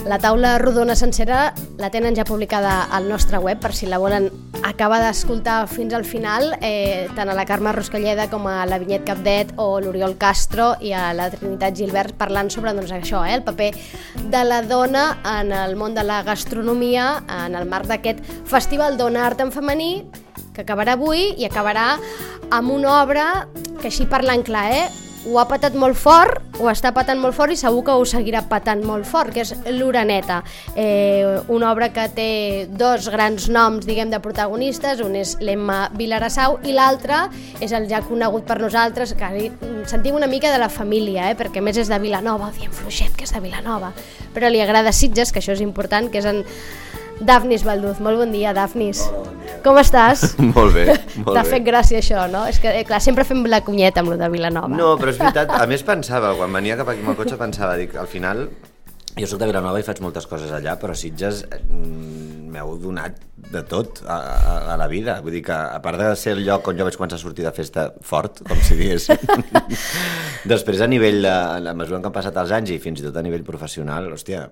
La taula rodona sencera la tenen ja publicada al nostre web per si la volen acabar d'escoltar fins al final, tant a la Carme Ruscalleda com a la Vinyet Capdet o l'Oriol Castro i a la Trinitat Gilbert parlant sobre això, el paper de la dona en el món de la gastronomia en el marc d'aquest Festival Dona Art en Femení que acabarà avui i acabarà amb una obra que, així parlant clar, ho ha patat molt fort, ho està patant molt fort i segur que ho seguirà patant molt fort, que és l'Oreneta, una obra que té dos grans noms, diguem, de protagonistes, un és l'Emma Vilarassau i l'altre és el ja conegut per nosaltres, que sentim una mica de la família, perquè a més és de Vilanova, diem fluixet que és de Vilanova, però li agrada Sitges, que això és important, que és en Dafnis Balduz. Molt bon dia, Dafnis. Hola, bon dia. Com estàs? Molt bé, molt bé. T'ha fet gràcia això, no? És que, clar, sempre fem la cunyeta amb lo de Vilanova. No, però és veritat, a més pensava, quan venia cap aquí amb el cotxe pensava, dic, al final, jo soc de Vilanova i faig moltes coses allà, però Sitges m'heu donat de tot a la vida. Vull dir que, a part de ser el lloc on jo vaig començar a sortir de festa fort, com si digués, després a nivell de la mesura en què han passat els anys i fins i tot a nivell professional, hòstia,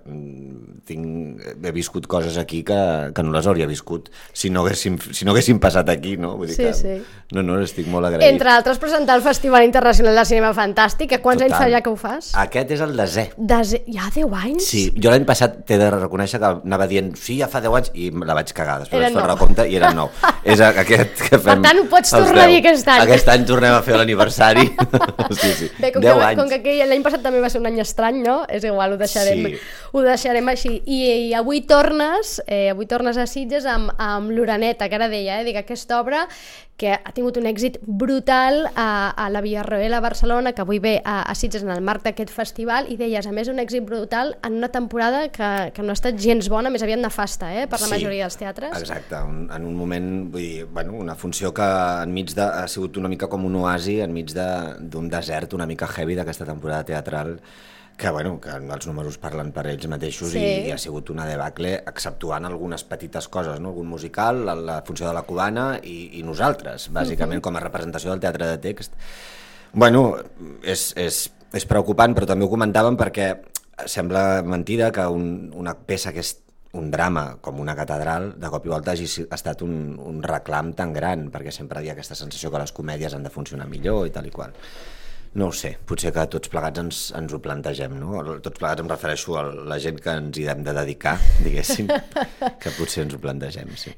he viscut coses aquí que no les hauria viscut si no haguéssim passat aquí, no? Vull dir que, sí. No, estic molt agraït. Entre altres, presentar el Festival Internacional de Cinema Fantàstic, quants anys fa ja que ho fas? Aquest és el desè. Ja 10 anys? Sí, jo l'any passat t'he de reconèixer que anava dient sí, ja fa 10 anys i la vaig cagar, després Era vaig fer el 9. recompte i era 9. És aquest que fem. Per tant, ho pots tornar a dir aquest any. Aquest any tornem a fer l'aniversari. Sí. Bé, 10 anys. Com que l'any passat també va ser un any estrany, no? És igual, ho deixarem així. I avui tornes a Sitges amb l'Oreneta, que ara deia, dic, aquesta obra que ha tingut un èxit brutal a la Villarroel a Barcelona, que avui ve a Sitges en el marc d'aquest festival, i deies, a més, un èxit brutal en una temporada que no ha estat gens bona, més aviat nefasta, per la majoria dels teatres. Exacte, en un moment, vull dir, una funció que enmig ha sigut una mica com un oasi, enmig d'un desert una mica heavy d'aquesta temporada teatral, que els números parlen per ells mateixos. Sí. I ha sigut una debacle, exceptuant algunes petites coses, no? Algun musical, la funció de la cubana i nosaltres, bàsicament, com a representació del teatre de text. És preocupant, però també ho comentàvem perquè sembla mentida que una peça que és un drama com una catedral, de cop i volta hagi estat un reclam tan gran, perquè sempre hi ha aquesta sensació que les comèdies han de funcionar millor i tal i qual. No ho sé, potser que tots plegats ens ho plantegem, no? Tots plegats em refereixo a la gent que ens hi hem de dedicar, diguéssim, que potser ens ho plantegem, sí.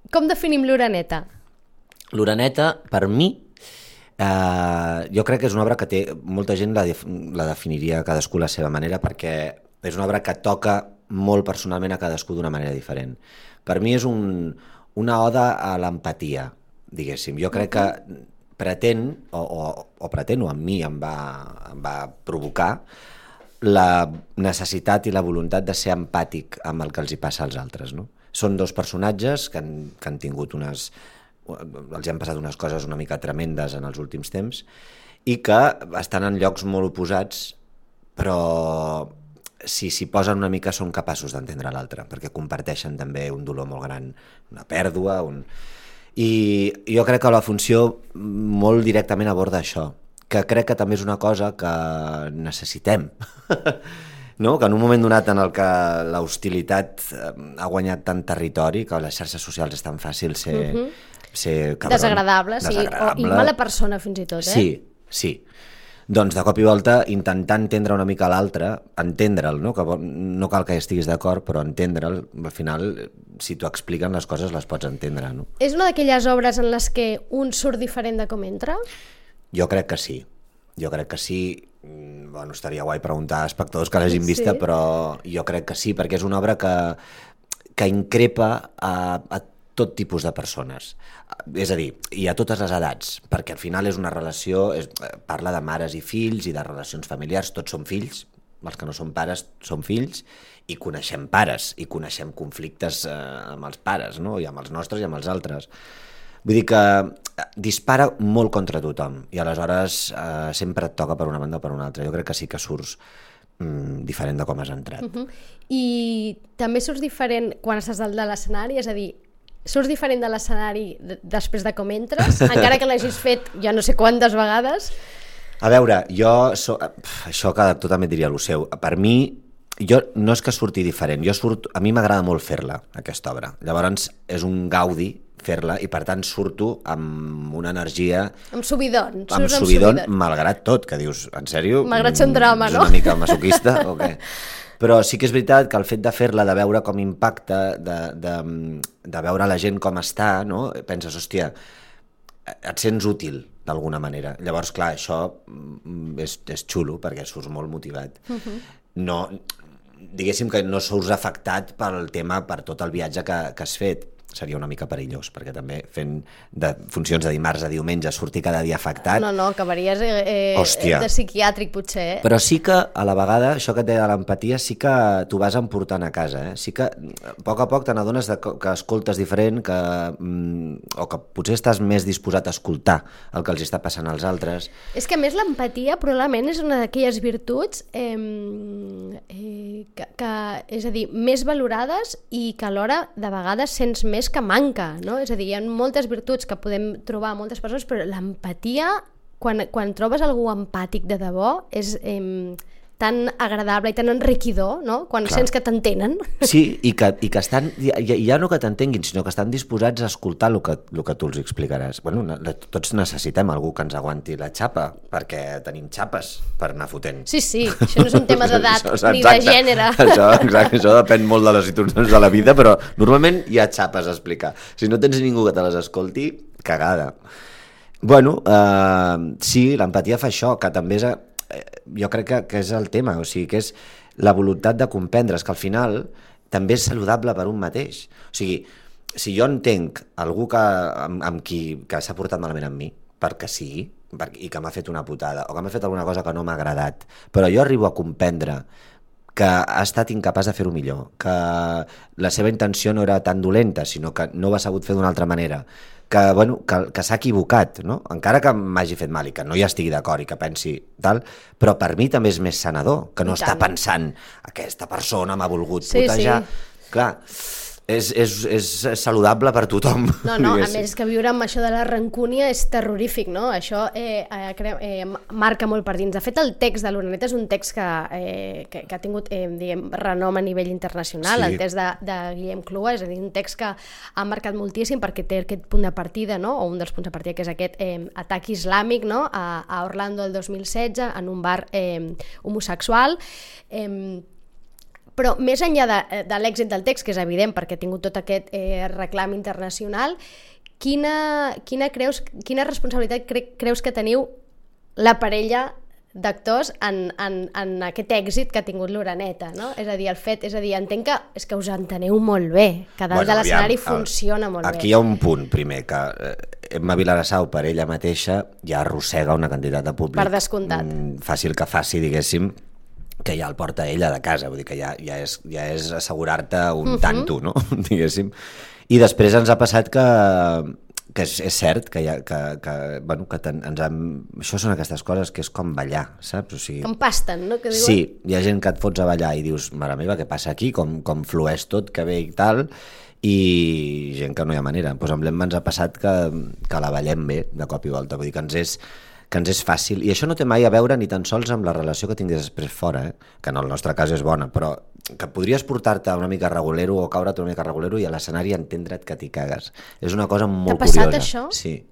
Com definim l'Oreneta? L'Oreneta, per mi, jo crec que és una obra que té... Molta gent la definiria cadascú a la seva manera, perquè és una obra que toca molt personalment a cadascú d'una manera diferent. Per mi és una oda a l'empatia, diguéssim. Jo crec que pretén, o en mi em va provocar la necessitat i la voluntat de ser empàtic amb el que els hi passa als altres, no? Són dos personatges que han tingut els hi han passat unes coses una mica tremendes en els últims temps i que estan en llocs molt oposats, però si s'hi posen una mica són capaços d'entendre l'altre, perquè comparteixen també un dolor molt gran, una pèrdua, I jo crec que la funció molt directament aborda això, que crec que també és una cosa que necessitem, no? Que en un moment donat en el que l'hostilitat ha guanyat tant territori, que les xarxes socials és tan fàcil ser cabron, desagradable, i mala persona fins i tot, Sí. Doncs de cop i volta intentar entendre una mica l'altre, entendre'l, no? Que no cal que estiguis d'acord, però entendre'l, al final, si t'ho expliquen les coses les pots entendre, no? És una d'aquelles obres en les que un surt diferent de com entra? Jo crec que sí. Estaria guai preguntar a espectadors que l'hagin vista, però jo crec que sí, perquè és una obra que increpa a tot tipus de persones, és a dir, i a totes les edats, perquè al final és una relació, parla de mares i fills i de relacions familiars, tots som fills, els que no som pares som fills, i coneixem pares, i coneixem conflictes amb els pares, no? I amb els nostres i amb els altres. Vull dir que dispara molt contra tothom, i aleshores sempre et toca per una banda o per una altra. Jo crec que sí que surts diferent de com has entrat. I també surts diferent quan estàs dalt de l'escenari, és a dir, surts diferent de l'escenari després de com entres, encara que l'hagis fet ja no sé quantes vegades? A veure, això cada actor també diria el seu. Per mi, jo no és que surti diferent, a mi m'agrada molt fer-la, aquesta obra. Llavors és un gaudi fer-la i per tant surto amb una energia... Amb subidon. Amb subidon, malgrat tot, que dius, en sèrio? Malgrat ser un drama, no? És una mica masoquista o què? Però sí que és veritat que el fet de fer-la, de veure com impacta, de veure la gent com està, no? Penses, hòstia, et sents útil d'alguna manera. Llavors, clar, això és xulo perquè surts molt motivat. No, diguéssim que no surts afectat pel tema, per tot el viatge que has fet. Seria una mica perillós, perquè també fent de funcions de dimarts a diumenge sortir cada dia afectat... No, acabaries de psiquiàtric, potser. Però sí que, a la vegada, això que et deia de l'empatia, sí que t'ho vas emportant a casa. Sí que, a poc te n'adones que escoltes diferent, o que potser estàs més disposat a escoltar el que els està passant als altres. És que, a més, l'empatia probablement és una d'aquelles virtuts que, és a dir, més valorades i que alhora, de vegades, sents més que manca, no? És a dir, hi ha moltes virtuts que podem trobar a moltes persones, però l'empatia, quan trobes algú empàtic de debò, és tan agradable i tan enriquidor, no? Quan sents que t'entenen. Sí, i que estan, ja no que t'entenguin, sinó que estan disposats a escoltar el que tu els explicaràs. Bueno, tots necessitem algú que ens aguanti la xapa, perquè tenim xapes per anar fotent. Sí, això no és un tema d'edat ni de gènere. Això depèn molt de les situacions de la vida, però normalment hi ha xapes a explicar. Si no tens ningú que te les escolti, cagada. Bueno, sí, l'empatia fa això, que també és... jo crec que és el tema, o sigui, que és la voluntat de comprendre, que al final també és saludable per un mateix. O sigui, si jo entenc algú amb qui que s'ha portat malament amb mi, perquè sí, i que m'ha fet una putada, o que m'ha fet alguna cosa que no m'ha agradat, però jo arribo a comprendre que ha estat incapaç de fer-ho millor, que la seva intenció no era tan dolenta, sinó que no ho ha sabut fer d'una altra manera, que s'ha equivocat, no? Encara que m'hagi fet mal i que no hi estigui d'acord i que pensi tal, però per mi també és més sanador, que no està pensant aquesta persona m'ha volgut putejar. Clar, és saludable per tothom. No, a més que viure amb això de la rancúnia és terrorífic, no? Això marca molt per dins. De fet, el text de l'Oreneta és un text que ha tingut renom a nivell internacional, el text de Guillem Clua, és a dir, un text que ha marcat moltíssim perquè té aquest punt de partida, no? O un dels punts de partida, que és aquest atac islàmic, no? A Orlando el 2016, en un bar homosexual. Però més enllà de l'èxit del text, que és evident perquè ha tingut tot aquest reclam internacional, quina responsabilitat creus que teniu la parella d'actors en aquest èxit que ha tingut l'Oreneta, no? És a dir, entenc que és que us enteneu molt bé, que dalt de l'escenari funciona molt bé. Aquí hi ha un punt, primer, que Emma Vilarassau per ella mateixa ja arrossega una quantitat de públic. Per descomptat. Fàcil que faci, diguéssim, que ja el porta ella de casa, vull dir que ja és assegurar-te un tanto, no? Diguéssim. I després ens ha passat que és cert que això són aquestes coses que és com ballar, saps? O sigui, com pasten, no? Que diuen? Sí, hi ha gent que et fots a ballar i dius, mare meva, què passa aquí? Com flueix tot, que bé i tal, i gent que no hi ha manera. Doncs amb l'Emma ens ha passat que la ballem bé de cop i volta, vull dir que ens és fàcil, i això no té mai a veure ni tan sols amb la relació que tinguis després fora, que en el nostre cas és bona, però que podries portar-te una mica regulero o caure't una mica regulero i a l'escenari entendre't que t'hi cagues. És una cosa molt curiosa. T'ha passat això? Sí.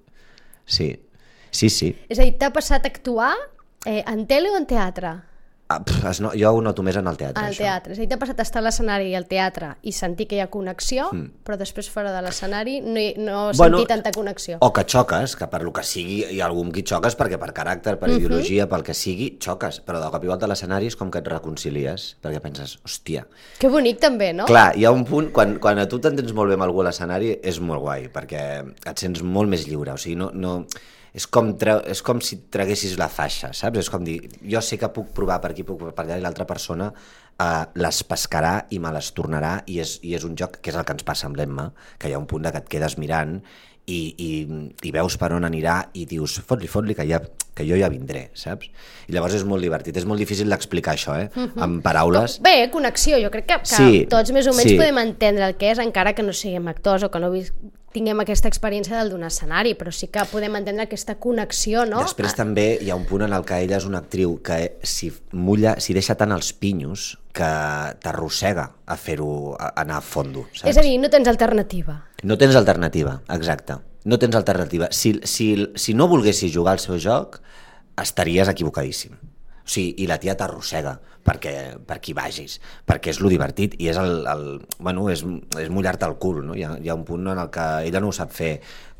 És a dir, t'ha passat actuar en tele o en teatre? Jo ho noto més en el teatre. Al teatre. És a dir, t'ha passat a estar a l'escenari i al teatre i sentir que hi ha connexió, però després fora de l'escenari no sentir tanta connexió. O que xoques, que per lo que sigui hi ha algú amb qui xoques, perquè per caràcter, per ideologia, pel que sigui, xoques, però de cop i volta a l'escenari és com que et reconcilies, perquè penses, hòstia... Que bonic també, no? Clar, hi ha un punt, quan a tu t'entens molt bé amb algú a l'escenari, és molt guai, perquè et sents molt més lliure, o sigui, no és com si traguessis la faixa, saps? És com dir, jo sé que puc provar per aquí, puc per allà, i l'altra persona les pescarà i me les tornarà, i és un joc que és el que ens passa amb l'Emma, que hi ha un punt que et quedes mirant i veus per on anirà i dius, fot-li, que jo ja vindré, saps? I llavors és molt divertit, és molt difícil d'explicar això, amb paraules. Bé, connexió, jo crec que tots més o menys podem entendre el que és, encara que no siguem actors o que no tinguem aquesta experiència del d'un escenari, però sí que podem entendre aquesta connexió, no? Després també hi ha un punt en el que ella és una actriu que si deixa tant els pinyos que t'arrossega a fer-ho, a anar a fondo, saps? És a dir, no tens alternativa. No tens alternativa, exacte. No tens alternativa. Si no volguessis jugar al seu joc, estaries equivocadíssim. O sigui, i la tia t'arrossega per qui vagis, perquè és lo divertit i és és mullar-te el cul, no? Hi ha un punt en el que ella no ho sap fer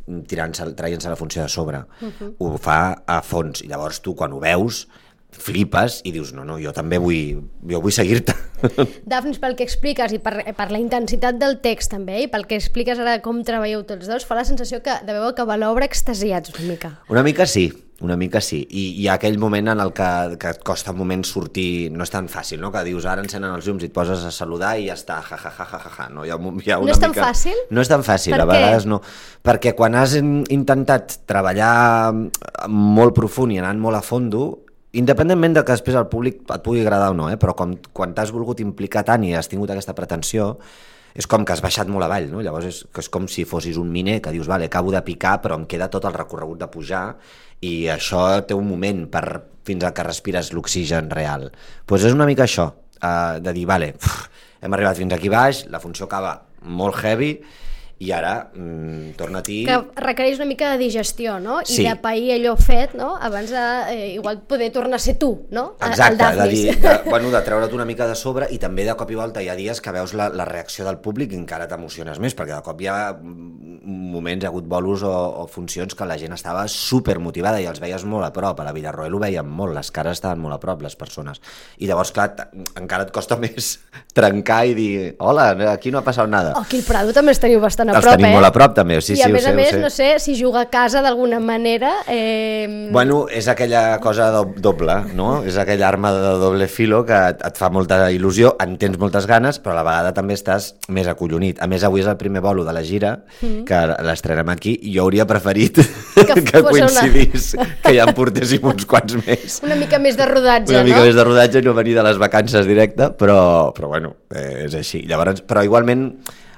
traient-se la funció de sobre. Ho fa a fons i llavors tu quan ho veus flipes i dius, no, jo també vull seguir-te. Dafnis, pel que expliques i per la intensitat del text també, i pel que expliques ara com treballeu tots dos, fa la sensació que deveu acabar l'obra extasiats una mica. Una mica sí, i hi ha aquell moment en el que et costa un moment sortir, no és tan fàcil, no? Que dius, ara encenen els llums i et poses a saludar i ja està, ja. No és tan fàcil? No és tan fàcil, a vegades no. Perquè quan has intentat treballar molt profund i anant molt a fondo, independentment de que després el públic et pugui agradar o no, però quan t'has volgut implicar tant i has tingut aquesta pretensió, és com que has baixat molt avall, no? Llavors és com si fossis un miner que dius, vale, acabo de picar però em queda tot el recorregut de pujar i això té un moment fins al que respires l'oxigen real. Doncs és una mica això, de dir, vale, hem arribat fins aquí baix, la funció acaba molt heavy i ara torna-t'hi... Que requereix una mica de digestió, no? Sí. I de pair allò fet, no? Abans de igual poder tornar a ser tu, no? Exacte, de treure't una mica de sobre i també de cop i volta hi ha dies que veus la reacció del públic i encara t'emociones més, perquè de cop hi ha moments, hi ha hagut bolos o funcions que la gent estava supermotivada i els veies molt a prop. A la Villarroel ho veiem molt, les cares estaven molt a prop, les persones. I llavors, clar, encara et costa més trencar i dir, hola, aquí no ha passat nada. Aquí al Prado també els teniu bastant a prop, els tenim molt a prop també, sí, i a més ho sé. no sé si juga a casa d'alguna manera... Bueno, és aquella cosa doble, no? És aquella arma de doble filo que et fa molta il·lusió, en tens moltes ganes, però a la vegada també estàs més acollonit. A més, avui és el primer bolo de la gira, que l'estrenem aquí, i jo hauria preferit que coincidís, que ja en portéssim uns quants més. Una mica més de rodatge, no? Una mica més de rodatge i no venir de les vacances directe, però bueno, és així. Llavors, però igualment...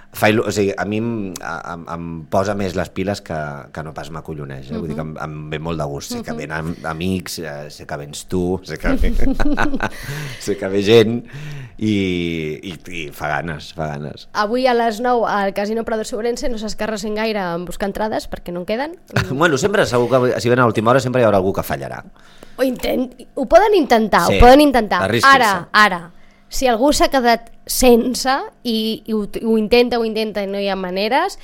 O sigui, a mi em posa més les piles que no pas m'acolloneix, vull dir que em ve molt de gust, sé que venen amics, sé que vens tu, sé que ve gent i fa ganes. Avui a les 9 al Casino Prado Sobrense no s'escarrassin gaire en buscar entrades perquè no en queden. Bueno, sempre segur que si ven a l'última hora sempre hi haurà algú que fallarà. Ho poden intentar, sí, Ara, si algú s'ha quedat sense i ho intenta i no hi ha maneres,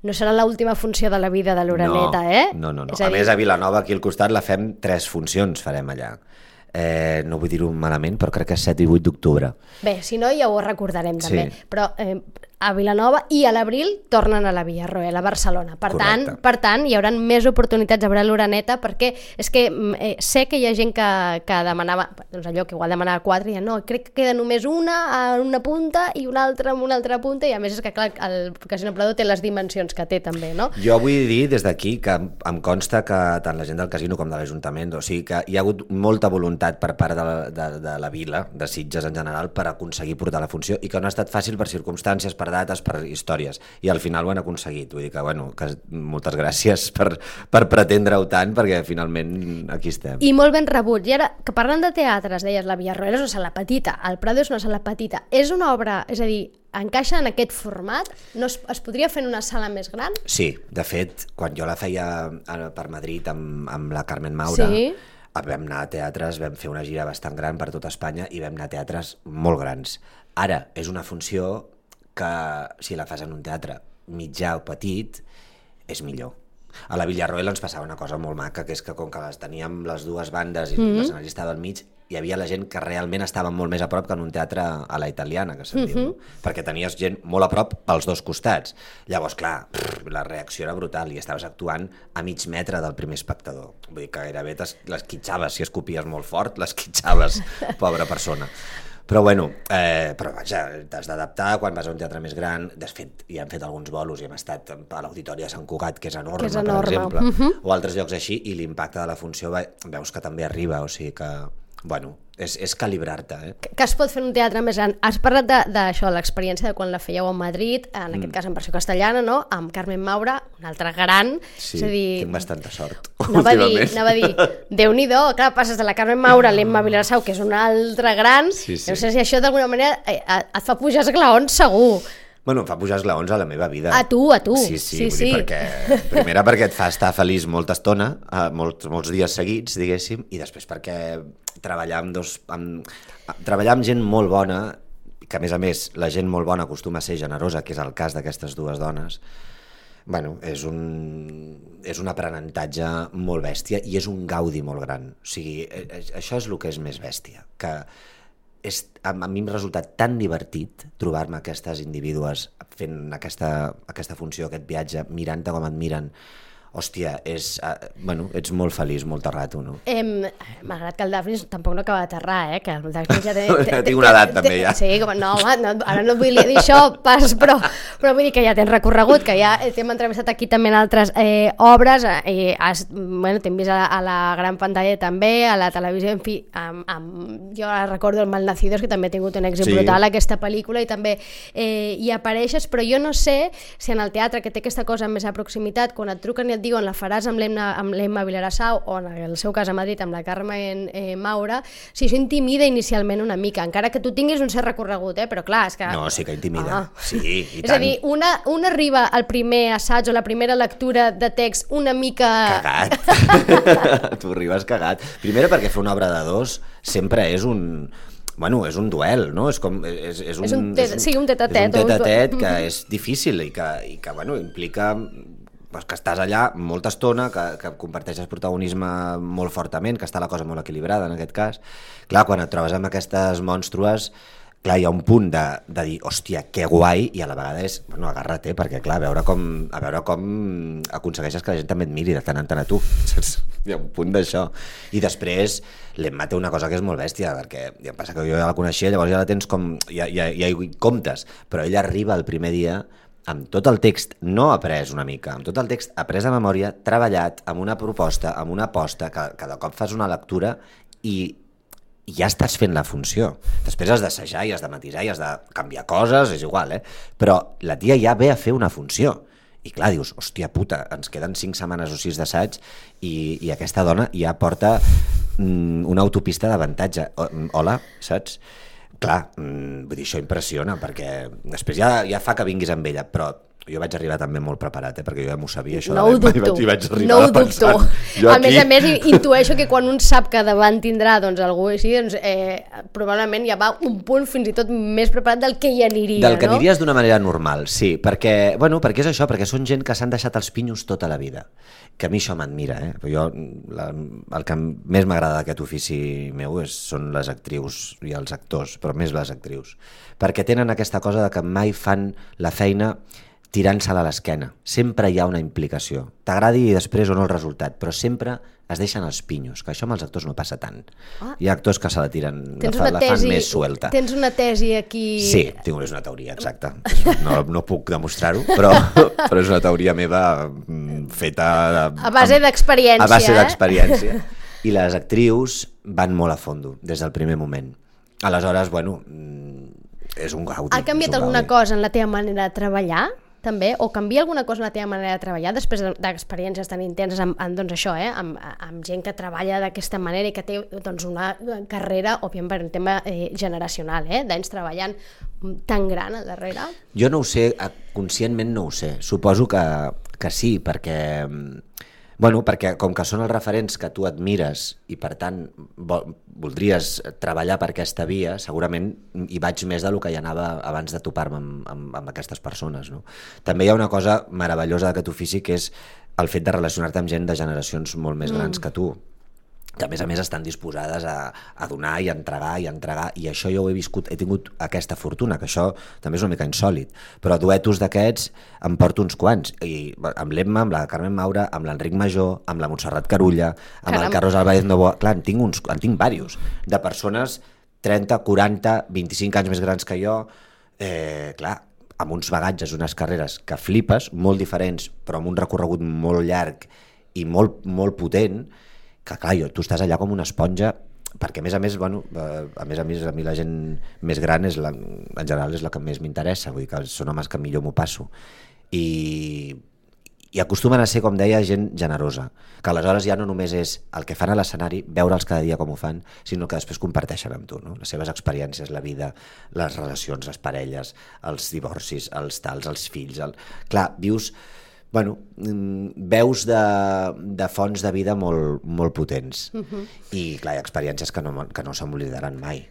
no serà l'última funció de la vida de l'Oreneta, No. A més, a Vilanova, aquí al costat, la fem 3 funcions, farem allà. No vull dir-ho malament, però crec que és 7 i 8 d'octubre. Bé, si no ja ho recordarem també, sí. Però a Vilanova i a l'abril tornen a la Villarroel, a Barcelona. Per tant, hi haurà més oportunitats de veure l'Oreneta, perquè és que sé que hi ha gent que demanava, doncs allò que igual demanava 4 i ja no, crec que queda només una a una punta i una altra en una altra punta, i a més és que clar, el Casino Prado té les dimensions que té també, no? Jo vull dir des d'aquí que em consta que tant la gent del casino com de l'Ajuntament, o sigui que hi ha hagut molta voluntat per part de la vila, de Sitges en general, per aconseguir portar la funció i que no ha estat fàcil per circumstàncies, per dates, per històries, i al final ho han aconseguit, vull dir que, que moltes gràcies per pretendre-ho tant, perquè finalment aquí estem. I molt ben rebut. I ara, que parlant de teatres, deies, la Villarroel és una sala petita, el Prado és una sala petita, és una obra, és a dir, encaixa en aquest format? No es podria fer en una sala més gran? Sí, de fet, quan jo la feia per Madrid amb la Carmen Maura, sí, vam anar a teatres, vam fer una gira bastant gran per tota Espanya i vam anar a teatres molt grans. Ara, és una funció que si la fas en un teatre mitjà o petit és millor. A la Villarroel ens passava una cosa molt maca, que és que com que les teníem les dues bandes i l'escenari estava al mig, hi havia la gent que realment estava molt més a prop que en un teatre a la italiana, que se'n diu, no? Perquè tenies gent molt a prop pels dos costats. Llavors, clar, la reacció era brutal i estaves actuant a mig metre del primer espectador. Vull dir que gairebé l'esquitxaves, si escopies molt fort, l'esquitxaves, pobra persona. Però bueno, però vaja, t'has d'adaptar quan vas a un teatre més gran. De fet, ja hem fet alguns bolos i hem estat a l'Auditori de Sant Cugat, que és enorme, per exemple, o altres llocs així, i l'impacte de la funció veus que també arriba, o sigui que, bueno, és calibrar-te. Que es pot fer en un teatre més gran. Has parlat d'això, l'experiència de quan la fèieu a Madrid, en aquest cas en versió castellana, no? Amb Carmen Maura, una altra gran. Sí, és a dir, tinc bastanta sort. Anava a dir, Déu-n'hi-do, clar, passes de la Carmen Maura a l'Emma Vilarsau, que és una altra gran, no sé si això d'alguna manera et fa pujar esglaons segur. Bueno, em fa pujar esglaons a la meva vida. A tu. Sí, vull dir, primera perquè et fa estar feliç molta estona, molts dies seguits, diguéssim, i després perquè treballar amb gent molt bona, que a més la gent molt bona acostuma a ser generosa, que és el cas d'aquestes dues dones, bueno, és un aprenentatge molt bèstia i és un gaudi molt gran. O sigui, això és el que és més bèstia, que a mi m'ha resultat tan divertit trobar-me aquestes indivídues fent aquesta funció, aquest viatge, mirant-te com et miren. Hòstia, ets molt feliç molta rato, no? Malgrat que el Dafnis tampoc no acaba d'aterrar, que el Dafnis ja té... Tinc una edat també, ja. Sí, no, home, ara no vull dir això pas, però vull dir que ja tens recorregut, que ja t'hem entrevistat aquí també en altres obres, t'hem vist a la gran pantalla també, a la televisió, en fi, jo recordo el Malnacidos, que també ha tingut un èxit brutal, aquesta pel·lícula, i també hi apareixes, però jo no sé si en el teatre, que té aquesta cosa més a proximitat, quan et truquen i et diuen la faràs amb l'Emma Vilarsau o en el seu cas a Madrid amb la Carmen Maura, si això intimida inicialment una mica, encara que tu tinguis un cert recorregut, però clar, és que... No, sí que intimida, sí, i tant. És a dir, un arriba al primer assaig o la primera lectura de text una mica... Cagat. Tu arribes cagat. Primera perquè fer una obra de dos sempre és un... Bueno, és un duel, no? És un tet-a-tet que és difícil i que bueno, implica que estàs allà molta estona, que comparteixes protagonisme molt fortament, que està la cosa molt equilibrada en aquest cas. Clar, quan et trobes amb aquestes mònstrues, clar, hi ha un punt de dir, hòstia, que guai, i a la vegada és, bueno, agarra't, perquè clar, a veure com aconsegueixes que la gent també et miri de tant en tant a tu. Hi ha un punt d'això. I després l'Emma té una cosa que és molt bèstia, perquè ja passa que jo ja la coneixia, llavors ja la tens com, ja hi comptes, però ella arriba el primer dia amb tot el text no après una mica, amb tot el text après a memòria, treballat, amb una proposta, amb una aposta, que cada cop fas una lectura i ja estàs fent la funció. Després has d'assajar i has de matisar i has de canviar coses, és igual, però la tia ja ve a fer una funció. I clar, dius, hòstia puta, ens queden 5 setmanes o 6 d'assaig i aquesta dona ja porta una autopista d'avantatge. Hola, saps? Clar, vull dir, això impressiona, perquè després ja fa que vinguis amb ella, però jo vaig arribar també molt preparat, perquè jo ja m'ho sabia, això no de l'Emma, i vaig arribar pensant... A més, intueixo que quan un sap que davant tindrà algú així, probablement ja va un punt fins i tot més preparat del que hi aniria, del que aniries d'una manera normal, sí, perquè és això, perquè són gent que s'han deixat els pinyos tota la vida, que a mi això m'admira, jo el que més m'agrada d'aquest ofici meu són les actrius i els actors, però més les actrius, perquè tenen aquesta cosa de que mai fan la feina tirant-se-la a l'esquena. Sempre hi ha una implicació. T'agradi després o no el resultat, però sempre es deixen els pinyos, que això amb els actors no passa tant. Hi ha actors que se la tiren, la fan més suelta. Tens una tesi aquí... Sí, tinc una teoria, exacte. No puc demostrar-ho, però és una teoria meva feta... A base d'experiència. A base d'experiència. I les actrius van molt a fondo, des del primer moment. Aleshores, bueno, és un gaudi. Ha canviat alguna cosa en la teva manera de treballar? També, o canvia alguna cosa en la teva manera de treballar després d'experiències tan intenses amb gent que treballa d'aquesta manera i que té una carrera, òbviament per un tema generacional, d'anys treballant tan gran al darrere? Jo no ho sé, conscientment no ho sé. Suposo que sí, perquè com que són els referents que tu admires i per tant voldries treballar per aquesta via, segurament hi vaig més del que hi anava abans de topar-me amb aquestes persones, no? També hi ha una cosa meravellosa d'aquest ofici, que és el fet de relacionar-te amb gent de generacions molt més grans que tu, que a més estan disposades a donar i a entregar, i això jo ho he viscut, he tingut aquesta fortuna, que això també és una mica insòlit, però duetos d'aquests em porto uns quants, i amb l'Emma, amb la Carmen Maura, amb l'Enric Major, amb la Montserrat Carulla, amb el Carlos Álvarez Novoa, clar, en tinc diversos, de persones 30, 40, 25 anys més grans que jo, clar, amb uns bagatges, unes carreres que flipes, molt diferents, però amb un recorregut molt llarg i molt, molt potent, que clar, tu estàs allà com una esponja perquè a més, bueno, a mi la gent més gran en general és la que més m'interessa, vull dir que són homes que millor m'ho passo. I acostumen a ser, com deia, gent generosa, que aleshores ja no només és el que fan a l'escenari, veure'ls cada dia com ho fan, sinó que després comparteixen amb tu, no? Les seves experiències, la vida, les relacions, les parelles, els divorcis, els tals, els fills... Clar, vius... Bueno, veus de fonts de vida molt potents. I clar, hi ha experiències que no se m'oblidaran mai.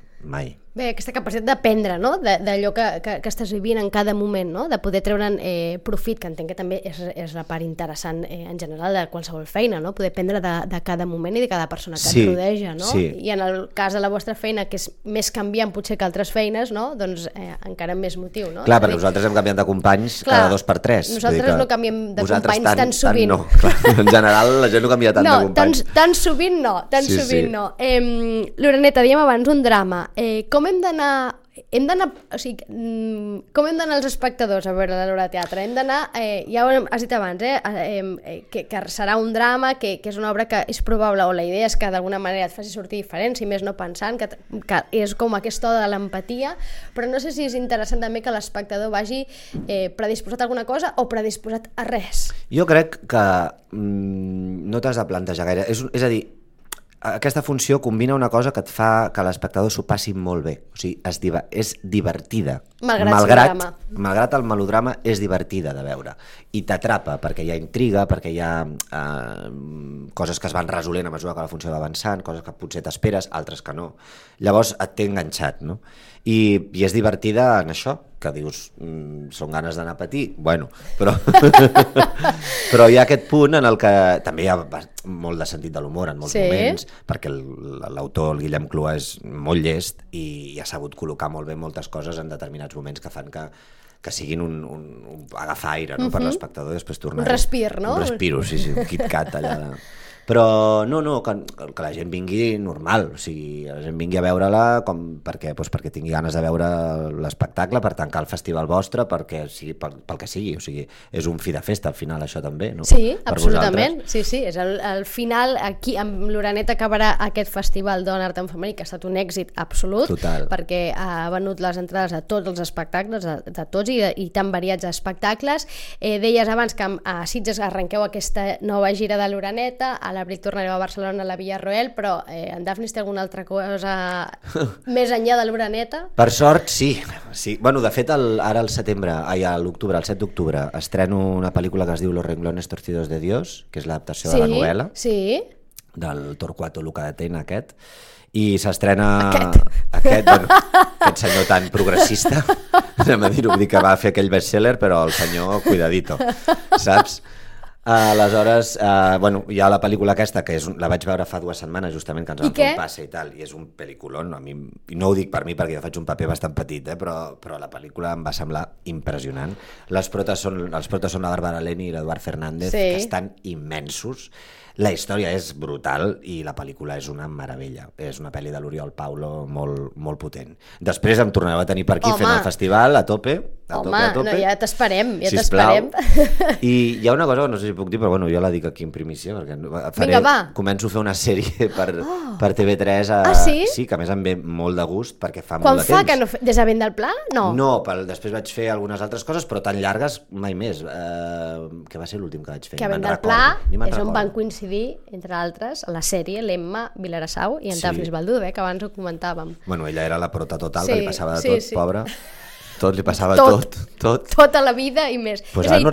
Bé, aquesta capacitat d'aprendre, no? D'allò que estàs vivint en cada moment, no? De poder treure'n profit, que entenc que també és la part interessant en general de qualsevol feina, no? Poder aprendre de cada moment i de cada persona que et rodeja, no? Sí. I en el cas de la vostra feina, que és més canviant potser que altres feines, no? Doncs encara més motiu, no? Clar, perquè nosaltres hem canviat de companys cada 2 per 3. Nosaltres no canviem de companys tan sovint. No. Clar, en general la gent no canvia tant de companys. Tan sovint no, no. Loreneta, dèiem abans un drama. Com hem d'anar, o sigui, com hem d'anar els espectadors a veure l'obra de teatre? Hem d'anar, ja ho has dit abans, que serà un drama, que és una obra que és probable, o la idea és que d'alguna manera et faci sortir diferent, si més no pensant, que és com aquesta oda de l'empatia, però no sé si és interessant també que l'espectador vagi predisposat a alguna cosa o predisposat a res. Jo crec que no t'has de plantejar gaire, és a dir, aquesta funció combina una cosa que et fa que l'espectador s'ho passi molt bé, o sigui, és divertida, malgrat el melodrama és divertida de veure i t'atrapa perquè hi ha intriga, perquè hi ha coses que es van resolent a mesura que la funció va avançant, coses que potser t'esperes, altres que no, llavors et té enganxat, no? I és divertida en això, que dius, són ganes d'anar a patir, bueno, però hi ha aquest punt en el que també hi ha molt de sentit de l'humor en molts moments, perquè l'autor, el Guillem Clua, és molt llest i ha sabut col·locar molt bé moltes coses en determinats moments que fan que siguin un agafar aire, no? Per l'espectador i després tornar... Un respir, no? Un respiro, sí, un KitKat allà... Però no, que la gent vingui normal, o sigui, la gent vingui a veure-la perquè tingui ganes de veure l'espectacle, per tancar el festival vostre, pel que sigui, o sigui, és un fi de festa al final això també, no? Sí, absolutament, sí, és el final, aquí amb l'Oreneta acabarà aquest festival Dona Art en Femení, que ha estat un èxit absolut, perquè ha venut les entrades a tots els espectacles, de tots i tan variats espectacles. Deies abans que a Sitges arrenqueu aquesta nova gira de l'Oreneta, a l'abril tornareu a Barcelona, a la Villarroel, però en Dafnis té alguna altra cosa més enllà de l'Oreneta? Per sort, sí. Bueno, de fet, ara al setembre, a l'octubre, el 7 d'octubre, estreno una pel·lícula que es diu Los renglones torcidos de Dios, que és l'adaptació de la novel·la del Torquato Luca de Tena, aquest, i s'estrena aquest senyor tan progressista, anem a dir-ho, que va fer aquell bestseller, però el senyor cuidadito, saps? Aleshores, hi ha la pel·lícula aquesta, que la vaig veure fa 2 setmanes justament, que ens vam fer un passe i tal, i és un pel·lículon, i no ho dic per mi perquè jo faig un paper bastant petit, però la pel·lícula em va semblar impressionant. Els protes són la Bàrbara Leni i l'Eduard Fernández, que estan immensos. La història és brutal i la pel·lícula és una meravella. És una pel·li de l'Oriol Paulo molt potent. Després em tornareu a tenir per aquí fent el festival a tope. Home, ja t'esperem, I hi ha una cosa que no sé si puc dir, però jo la dic aquí en primícia, perquè començo a fer una sèrie per TV3. Sí, que a més em ve molt de gust perquè fa molt de temps. Quan fa? Des de Vent del Pla? No, després vaig fer algunes altres coses, però tan llargues mai més. Què va ser l'últim que vaig fer? Que Vent del Pla és on van coincidir, entre altres, a la sèrie l'Emma Vilarassau i en Dafnis Baldú, que abans ho comentàvem. Bueno, ella era la prota total, que li passava de tot, pobra. Tot li passava, tot. Tota la vida i més. És a dir,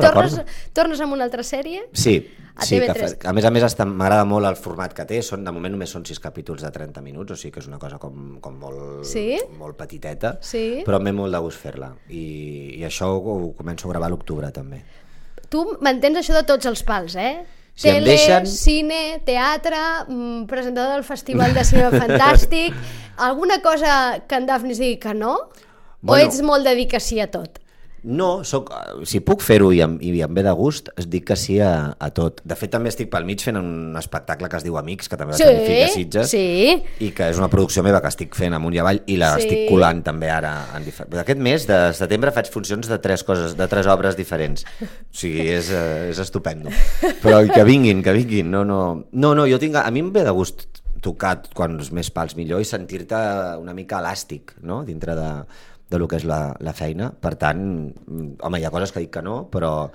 tornes amb una altra sèrie? Sí, que a més m'agrada molt el format que té, de moment només són 6 capítols de 30 minuts, o sigui que és una cosa com molt petiteta, però em ve molt de gust fer-la, i això ho començo a gravar a l'octubre també. Tu mantens això de tots els pals, Tele, cine, teatre, presentador del Festival de Cinema Fantàstic, alguna cosa que en Dafnis digui que no? O ets molt de dir que sí a tot? No, si puc fer-ho i em ve de gust, es dic que sí a tot. De fet, també estic pel mig fent un espectacle que es diu Amics, que també va tenir Fica Sitges, i que és una producció meva que estic fent amunt i avall, i l'estic colant també ara. Aquest mes de setembre faig funcions de 3 obres diferents. O sigui, és estupendo. Però que vinguin. No, jo tinc... A mi em ve de gust tocar quants més pals millor i sentir-te una mica elàstic, no?, dintre de lo que és la feina. Per tant, home, hi ha coses que dic que no, però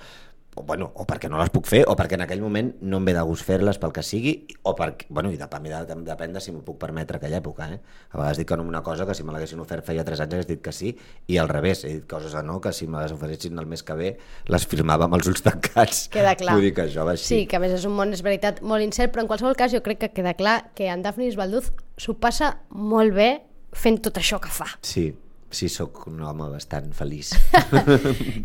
o perquè no les puc fer, o perquè en aquell moment no em ve de gust fer-les pel que sigui, o perquè, i depèn de si m'ho puc permetre aquella època, A vegades dic que no una cosa que si me l'haguessin ofert feia 3 anys hagués dit que sí, i al revés, he dit coses a no que si me les oferessin el mes que ve les firmava amb els ulls tancats. Queda clar. Vull dir que això va així. Sí, que a més és un món, és veritat, molt incert, però en qualsevol cas jo crec que queda clar que en Dafnis Balduz s'ho passa molt bé fent tot això que fa. Sí, sóc un home bastant feliç.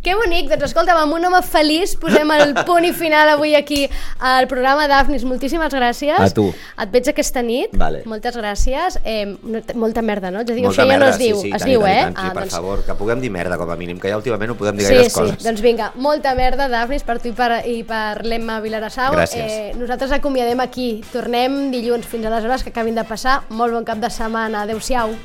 Que bonic, doncs escolta'm, amb un home feliç posem el punt i final avui aquí al programa. Dafnis, moltíssimes gràcies. A tu. Et veig aquesta nit. Vale. Moltes gràcies. Molta merda, no? Ja dic, molta això merda, ja no es diu, es diu, tant, sí, per favor, que puguem dir merda com a mínim, que ja últimament no podem dir gaires coses. Sí, doncs vinga, molta merda, Dafnis, per tu i per l'Emma Vilarassau. Gràcies. Nosaltres acomiadem aquí. Tornem dilluns. Fins aleshores, que acabin de passar. Molt bon cap de setmana. Adéu-siau.